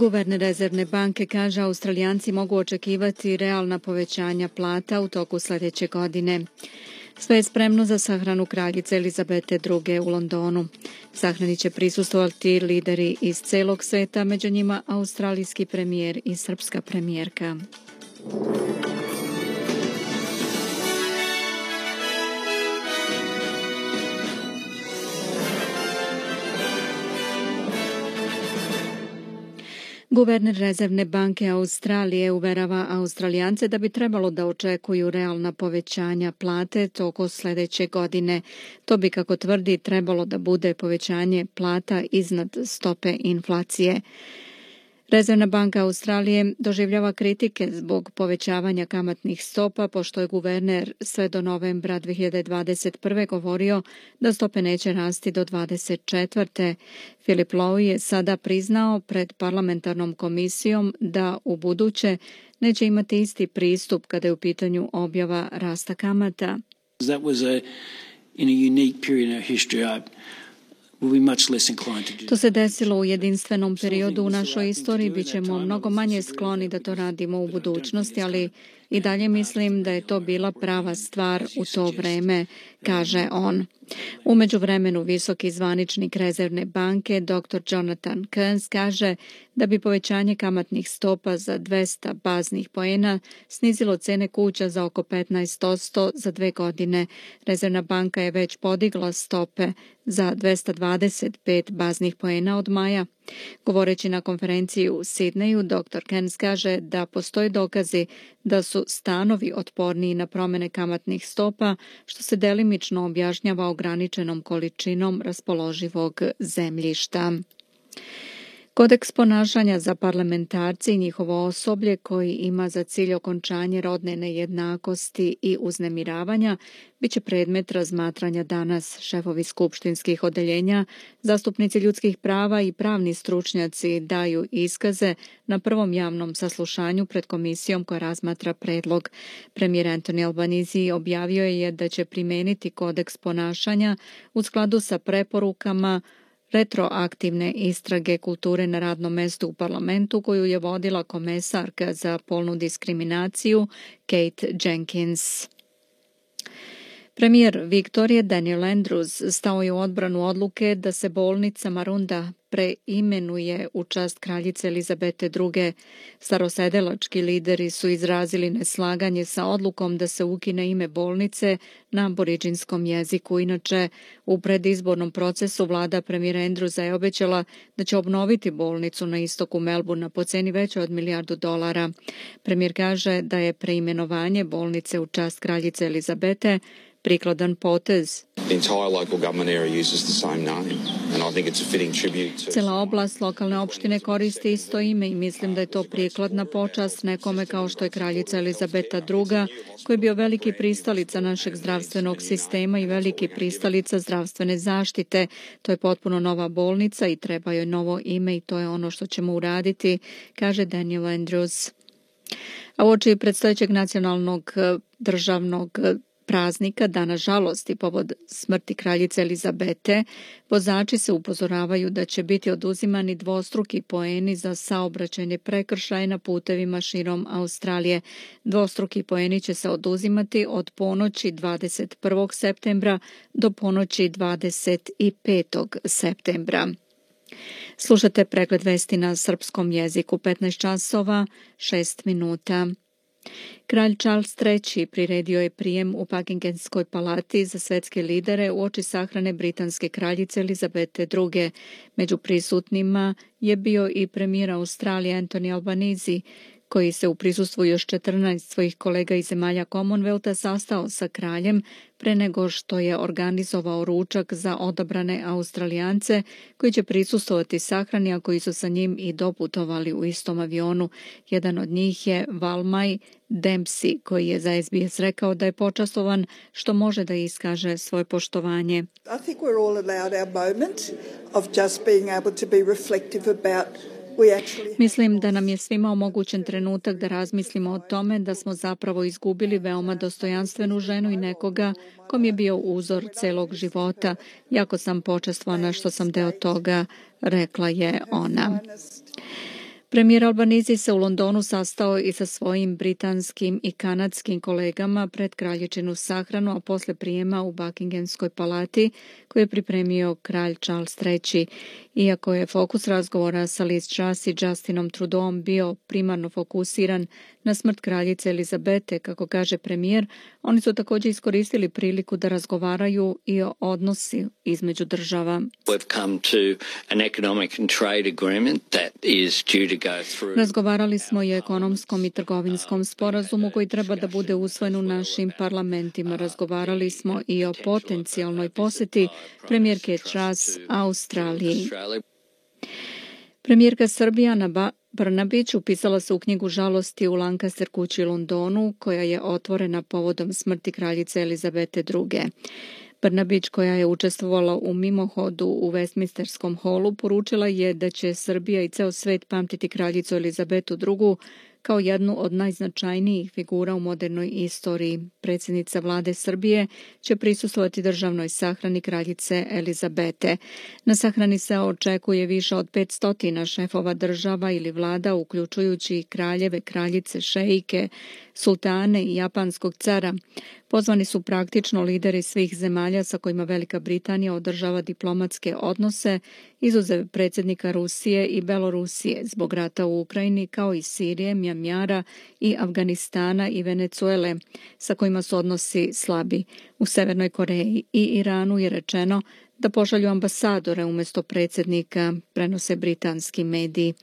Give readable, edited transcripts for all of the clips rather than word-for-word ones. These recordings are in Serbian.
Guverner Rezervne banke kaže Australijanci mogu očekivati realna povećanja plata u toku sljedeće godine. Sve je spremno za sahranu kraljice Elizabete II. U Londonu. Sahrani će prisustvovati lideri iz celog sveta, među njima australijski premijer i srpska premijerka. Guverner Rezervne banke Australije uverava Australijance da bi trebalo da očekuju realna povećanja plate tokom sljedeće godine. To bi, kako tvrdi, trebalo da bude povećanje plata iznad stope inflacije. Rezervna banka Australije doživljava kritike zbog povećavanja kamatnih stopa, pošto je guverner sve do novembra 2021. govorio da stope neće rasti do 2024. Philip Lowe je sada priznao pred parlamentarnom komisijom da u buduće neće imati isti pristup kada je u pitanju objava rasta kamata. That was in a unique period in our history. To se desilo u jedinstvenom periodu u našoj istoriji, bit ćemo mnogo manje skloni da to radimo u budućnosti, ali i dalje mislim da je to bila prava stvar u to vreme, kaže on. U međuvremenu visoki zvaničnik Rezervne banke dr. Jonathan Kearns kaže da bi povećanje kamatnih stopa za 200 baznih poena snizilo cene kuća za oko 15% za 2 godine. Rezervna banka je već podigla stope za 225 baznih poena od maja. Govoreći na konferenciji u Sidneju, dr. Kearns kaže da postoje dokazi da su stanovi otporniji na promjene kamatnih stopa, što se delimično objašnjava ograničenom količinom raspoloživog zemljišta. Kodeks ponašanja za parlamentarci i njihovo osoblje, koji ima za cilj okončanje rodne nejednakosti i uznemiravanja, bit će predmet razmatranja danas. Šefovi skupštinskih odeljenja, zastupnici ljudskih prava i pravni stručnjaci daju iskaze na prvom javnom saslušanju pred komisijom koja razmatra predlog. Premijer Anthony Albanese objavio je da će primeniti kodeks ponašanja u skladu sa preporukama retroaktivne istrage kulture na radnom mestu u parlamentu koju je vodila komesarka za polnu diskriminaciju Kate Jenkins. Premijer Viktorije Daniel Andrews stao je u odbranu odluke da se bolnica Marunda preimenuje u čast kraljice Elizabete II. Starosedelački lideri su izrazili neslaganje sa odlukom da se ukine ime bolnice na aboriđinskom jeziku. Inače, u predizbornom procesu vlada premijera Andrewsa je obećala da će obnoviti bolnicu na istoku Melbournea po ceni većoj od $1 milijardu. Premijer kaže da je preimenovanje bolnice u čast kraljice Elizabete prikladan potez. Cela oblast lokalne opštine koristi isto ime i mislim da je to prikladna počast nekome kao što je kraljica Elizabeta II, koji je bio veliki pristalica našeg zdravstvenog sistema i veliki pristalica zdravstvene zaštite. To je potpuno nova bolnica i treba joj novo ime i to je ono što ćemo uraditi, kaže Daniel Andrews. A uoči predstojećeg nacionalnog državnog praznika, dana žalosti povod smrti kraljice Elizabete, vozači se upozoravaju da će biti oduzimani dvostruki poeni za saobraćajne prekršaje na putevima širom Australije. Dvostruki poeni će se oduzimati od ponoći 21. septembra do ponoći 25. septembra. Slušate pregled vesti na srpskom jeziku, 15 časova, 6 minuta. Kralj Charles III. Priredio je prijem u Buckinghamskoj palati za svetske lidere uoči sahrane britanske kraljice Elizabete II. Među prisutnima je bio i premijer Australije Anthony Albanese, koji se u prisustvu još 14 svojih kolega iz zemalja Commonwealtha sastao sa kraljem pre nego što je organizovao ručak za odabrane Australijance koji će prisustvovati sahrani, a koji su sa njim i doputovali u istom avionu. Jedan od njih je Valmaj Dempsey, koji je za SBS rekao da je počastovan što može da iskaže svoje poštovanje. I think we're all allowed our moment of just being able to be reflective about. Mislim da nam je svima omogućen trenutak da razmislimo o tome da smo zapravo izgubili veoma dostojanstvenu ženu i nekoga kom je bio uzor celog života. Jako sam počastvovana što sam deo toga, rekla je ona. Premijer Albanizi se u Londonu sastao i sa svojim britanskim i kanadskim kolegama pred kraljičinu sahranu, a posle prijema u Buckinghamskoj palati koju je pripremio kralj Charles III. Iako je fokus razgovora sa Liz Truss i Justinom Trudeauom bio primarno fokusiran na smrt kraljice Elizabete, kako kaže premijer, oni su također iskoristili priliku da razgovaraju i o odnosi između država. Razgovarali smo i o ekonomskom i trgovinskom sporazumu koji treba da bude usvojen u našim parlamentima. Razgovarali smo i o potencijalnoj posjeti premijerke Truss Australiji. Premijerka Srbije Ana Brnabić upisala se u knjigu žalosti u Lancaster kući u Londonu, koja je otvorena povodom smrti kraljice Elizabete II. Brnabić, koja je učestvovala u mimohodu u Westminsterskom holu, poručila je da će Srbija i ceo svet pamtiti kraljicu Elizabetu II kao jednu od najznačajnijih figura u modernoj istoriji. Predsjednica vlade Srbije će prisustvovati državnoj sahrani kraljice Elizabete. Na sahrani se očekuje više od 500 šefova država ili vlada, uključujući kraljeve, kraljice, šeike, sultane i japanskog cara. Pozvani su praktično lideri svih zemalja sa kojima Velika Britanija održava diplomatske odnose, izuzev predsjednika Rusije i Belorusije zbog rata u Ukrajini, kao i Sirije, Mjanmara i Afganistana i Venecuele, sa kojima su odnosi slabi. U Severnoj Koreji i Iranu je rečeno da pošalju ambasadore umjesto predsjednika, prenose britanski mediji.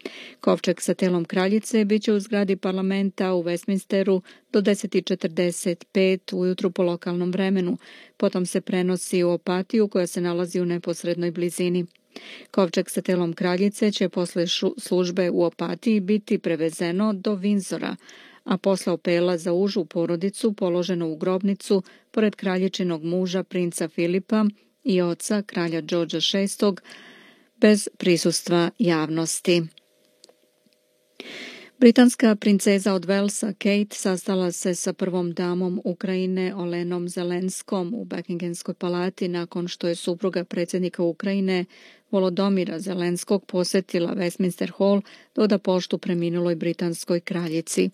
Kovčeg sa telom kraljice biće u zgradi parlamenta u Westminsteru do 10:45 ujutru po lokalnom vremenu. Potom se prenosi u Opatiju koja se nalazi u neposrednoj blizini. Kovčeg sa telom kraljice će posle službe u Opatiji biti prevezeno do Windsora, a posle opela za užu porodicu položeno u grobnicu pored kraljičinog muža princa Filipa i oca kralja Georgea VI bez prisustva javnosti. Britanska princeza od Walesa Kate sastala se sa prvom damom Ukrajine Olenom Zelenskom u Buckinghamskoj palati nakon što je supruga predsjednika Ukrajine Volodomira Zelenskog posjetila Westminster Hall da oda poštu preminuloj britanskoj kraljici.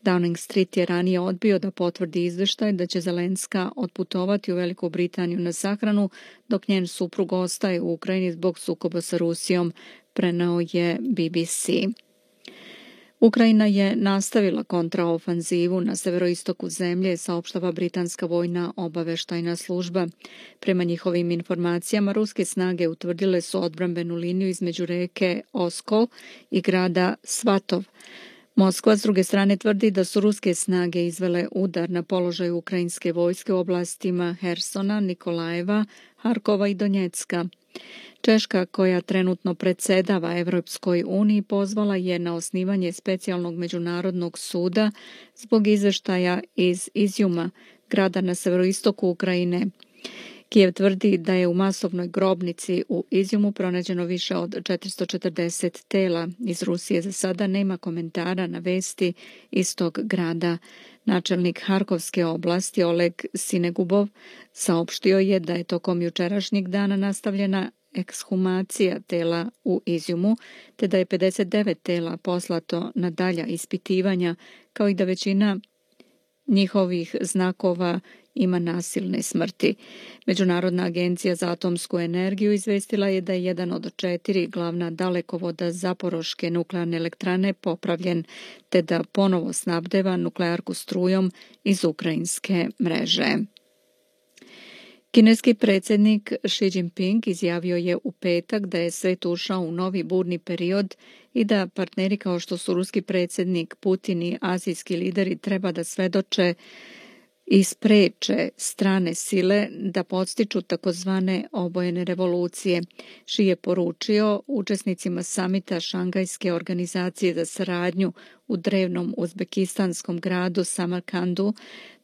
Downing Street je ranije odbio da potvrdi izvještaj da će Zelenska otputovati u Veliku Britaniju na sahranu, dok njen suprug ostaje u Ukrajini zbog sukoba sa Rusijom, preneo je BBC. Ukrajina je nastavila kontraofanzivu na severoistoku zemlje, saopštava britanska vojna obaveštajna služba. Prema njihovim informacijama, ruske snage utvrdile su odbrambenu liniju između reke Oskol i grada Svatov. Moskva s druge strane tvrdi da su ruske snage izvele udar na položaj ukrajinske vojske u oblastima Hersona, Nikolajeva, Harkova i Donjecka. Češka, koja trenutno predsjedava Evropskoj uniji, pozvala je na osnivanje specijalnog međunarodnog suda zbog izvještaja iz Izjuma, grada na severoistoku Ukrajine. Kijev tvrdi da je u masovnoj grobnici u Izjumu pronađeno više od 440 tela. Iz Rusije za sada nema komentara na vesti iz tog grada. Načelnik Harkovske oblasti Oleg Sinegubov saopštio je da je tokom jučerašnjeg dana nastavljena ekshumacija tela u Izjumu, te da je 59 tela poslato na dalja ispitivanja, kao i da većina njihovih znakova ima nasilne smrti. Međunarodna agencija za atomsku energiju izvestila je da je jedan od 4 glavna dalekovoda Zaporoške nuklearne elektrane popravljen, te da ponovo snabdeva nuklearku strujom iz ukrajinske mreže. Kineski predsjednik Xi Jinping izjavio je u petak da je svet ušao u novi burni period i da partneri kao što su ruski predsjednik Putin i azijski lideri treba da svedoče i spreče strane sile da podstiču takozvane obojene revolucije. Xi je poručio učesnicima samita Šangajske organizacije za saradnju u drevnom uzbekistanskom gradu Samarkandu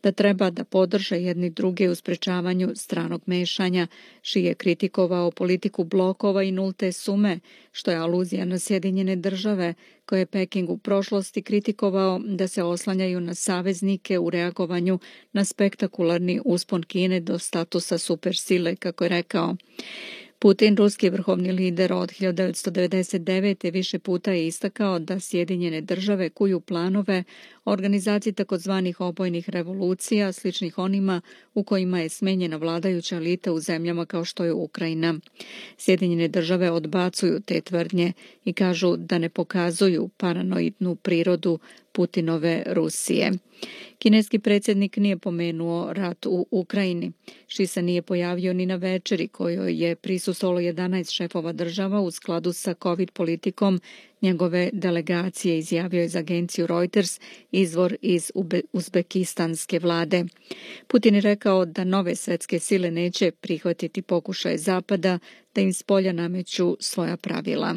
da treba da podrže jedni druge u sprečavanju stranog mešanja. Xi je kritikovao politiku blokova i nulte sume, što je aluzija na Sjedinjene države, koje je Peking u prošlosti kritikovao da se oslanjaju na saveznike u reagovanju na spektakularni uspon Kine do statusa supersile, kako je rekao. Putin, ruski vrhovni lider od 1999. više puta je istakao da Sjedinjene države kuju planove o organizaciji takozvanih obojnih revolucija, sličnih onima u kojima je smenjena vladajuća elita u zemljama kao što je Ukrajina. Sjedinjene države odbacuju te tvrdnje i kažu da ne pokazuju paranoidnu prirodu Putinove Rusije. Kineski predsjednik nije pomenuo rat u Ukrajini. Xi se nije pojavio ni na večeri kojoj je prisustvovalo 11 šefova država u skladu sa COVID politikom njegove delegacije, izjavio je za agenciju Reuters izvor iz uzbekistanske vlade. Putin je rekao da nove svetske sile neće prihvatiti pokušaje Zapada da im spolja nameću svoja pravila.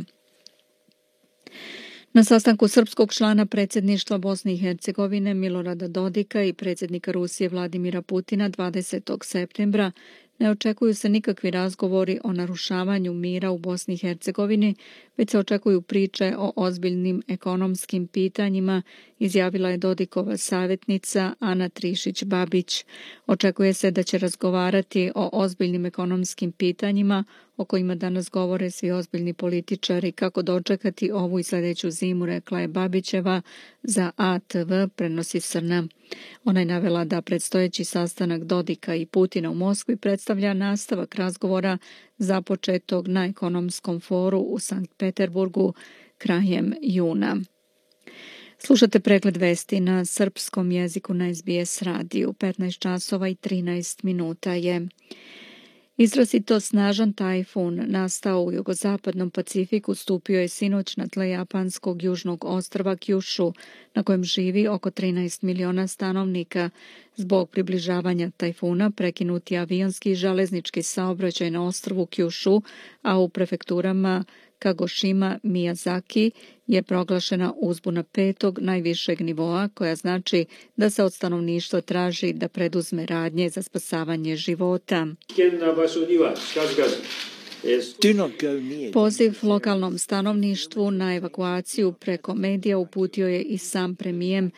Na sastanku srpskog člana predsjedništva Bosne i Hercegovine Milorada Dodika i predsjednika Rusije Vladimira Putina 20. septembra ne očekuju se nikakvi razgovori o narušavanju mira u Bosni i Hercegovini, već se očekuju priče o ozbiljnim ekonomskim pitanjima, izjavila je Dodikova savjetnica Ana Trišić-Babić. Očekuje se da će razgovarati o ozbiljnim ekonomskim pitanjima o kojima danas govore svi ozbiljni političari, kako dočekati ovu i sljedeću zimu, rekla je Babićeva za ATV, prenosi Srna. Ona je navela da predstojeći sastanak Dodika i Putina u Moskvi predstavlja nastavak razgovora započetog na ekonomskom foru u Sankt Peterburgu krajem juna. Slušate pregled vesti na srpskom jeziku na SBS radiju. 15 časova i 13 minuta je. Izrazito snažan tajfun nastao u jugozapadnom Pacifiku stupio je sinoć na tle japanskog južnog ostrva Kyushu, na kojem živi oko 13 miliona stanovnika. Zbog približavanja tajfuna prekinuti avionski i železnički saobraćaj na ostrvu Kyushu, a u prefekturama Kagoshima, Miyazaki je proglašena uzbuna 5. najvišeg nivoa, koja znači da se od stanovništva traži da preduzme radnje za spasavanje života. Poziv lokalnom stanovništvu na evakuaciju preko medija uputio je i sam premijer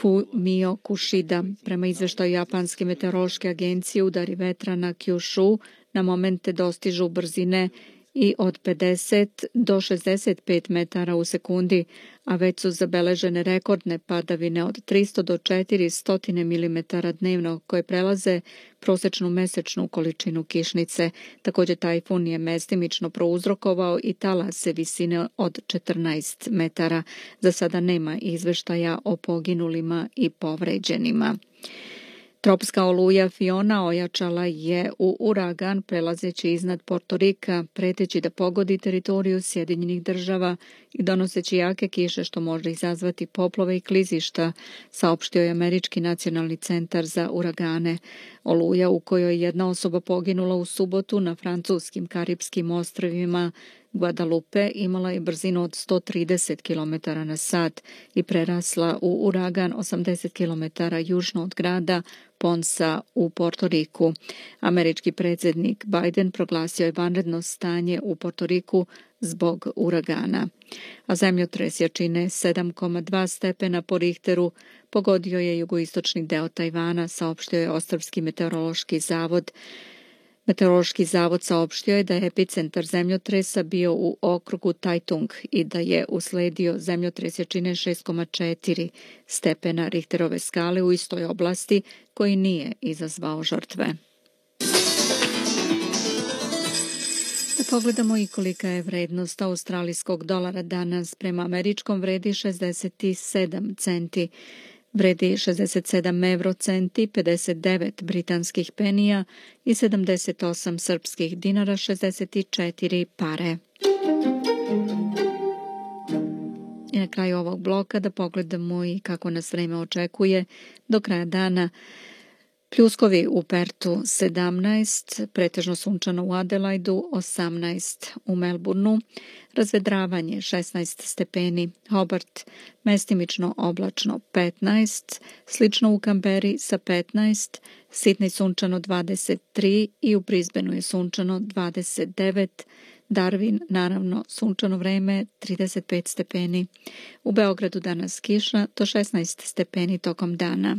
Fumio Kishida. Prema izveštaju Japanske meteorološke agencije, udari vetra na Kyushu na momente dostižu brzine i od 50 do 65 metara u sekundi, a već su zabeležene rekordne padavine od 300 do 400 mm dnevno, koje prelaze prosječnu mesečnu količinu kišnice. Također tajfun je mestimično prouzrokovao i talase visine od 14 metara. Za sada nema izveštaja o poginulima i povređenima. Tropska oluja Fiona ojačala je u uragan prelazeći iznad Portorika, preteći da pogodi teritoriju Sjedinjenih država i donoseći jake kiše što može izazvati poplove i klizišta, saopštio je Američki nacionalni centar za uragane. Oluja, u kojoj je jedna osoba poginula u subotu na francuskim Karipskim ostrvima Guadalupe, imala je brzinu od 130 km na sat i prerasla u uragan 80 km južno od grada Ponsa u Portoriku. Američki predsjednik Biden proglasio je vanredno stanje u Portoriku zbog uragana. A zemljotres jačine 7,2 stepena po Richteru pogodio je jugoistočni deo Tajvana, saopštio je Ostrvski meteorološki zavod. Meteorološki zavod saopštio je da je epicentar zemljotresa bio u okrugu Taitung i da je usledio zemljotres jačine 6,4 stepena Richterove skale u istoj oblasti, koji nije izazvao žrtve. Da pogledamo i kolika je vrednost australijskog dolara danas. Prema američkom vredi 67 centi. Vredi 67 eurocenti, 59 britanskih penija i 78 srpskih dinara, 64 pare. I na kraju ovog bloka da pogledamo i kako nas vreme očekuje do kraja dana. Pljuskovi u Pertu 17, pretežno sunčano u Adelaidu 18, u Melbourneu razvedravanje 16 stepeni, Hobart mestimično oblačno 15, slično u Kamberi sa 15, Sidney sunčano 23 i u Brisbaneu je sunčano 29, Darwin naravno sunčano vreme 35 stepeni. U Beogradu danas kiša do 16 stepeni tokom dana.